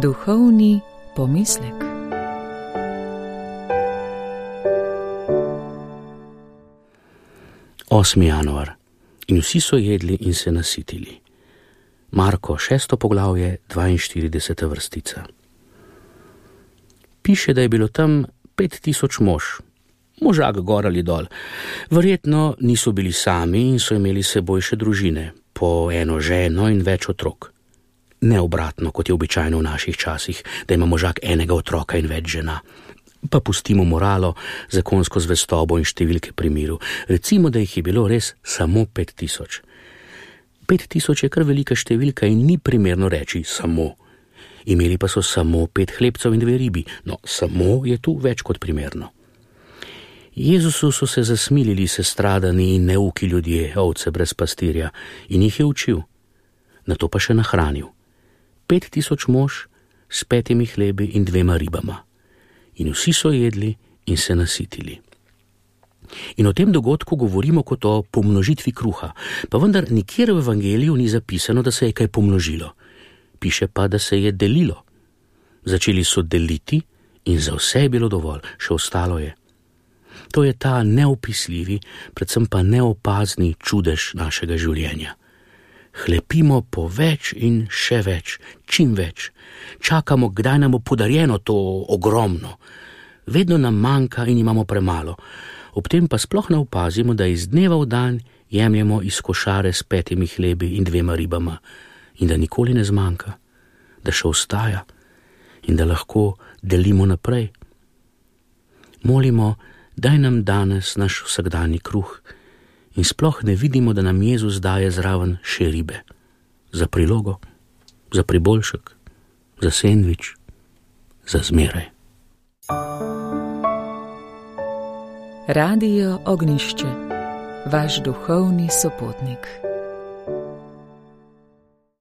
Duhovni pomislek. Osmi januar. In vsi so jedli in se nasitili. Marko 6. poglavje, 42. vrstica. Piše, da je bilo tam 5000 mož, možak gor ali dol. Verjetno niso bili sami in so imeli s seboj še družine, po eno ženo in več otrok. Ne obratno, kot je običajno v naših časih, da ima možak enega otroka in več žena. Pa pustimo moralo, zakonsko zvestobo in številke pri miru. Recimo, da jih je bilo res samo 5000. 5000 je kar velika številka in ni primerno reči samo. Imeli pa so samo 5 hlebcev in 2 ribi, no samo je tu več kot primerno. Jezusu so se zasmilili sestradani in neuki ljudje, ovce brez pastirja, in jih je učil. Nato pa še nahranil. 5000 mož s 5 hlebi in 2 ribama. In vsi so jedli in se nasitili. In o tem dogodku govorimo kot o pomnožitvi kruha, pa vendar nikjer v evangeliju ni zapisano, da se je kaj pomnožilo. Piše pa, da se je delilo. Začeli so deliti in za vse je bilo dovolj, še ostalo je. To je ta neopisljivi, predvsem pa neopazni čudež našega življenja. Hlepimo po več in še več, čim več. Čakamo, kdaj nam bo podarjeno to ogromno. Vedno nam manjka in imamo premalo. Ob tem pa sploh ne opazimo, da iz dneva v dan jemljemo iz košare s 5 hlebi in 2 ribama in da nikoli ne zmanjka, da še ostaja in da lahko delimo naprej. Molimo, daj nam danes naš vsakdanji kruh in sploh ne vidimo, da nam Jezus daje zraven še ribe. Za prilogo, za priboljšek, za sendvič, za zmeraj. Radio Ognišče, vaš duhovni sopotnik.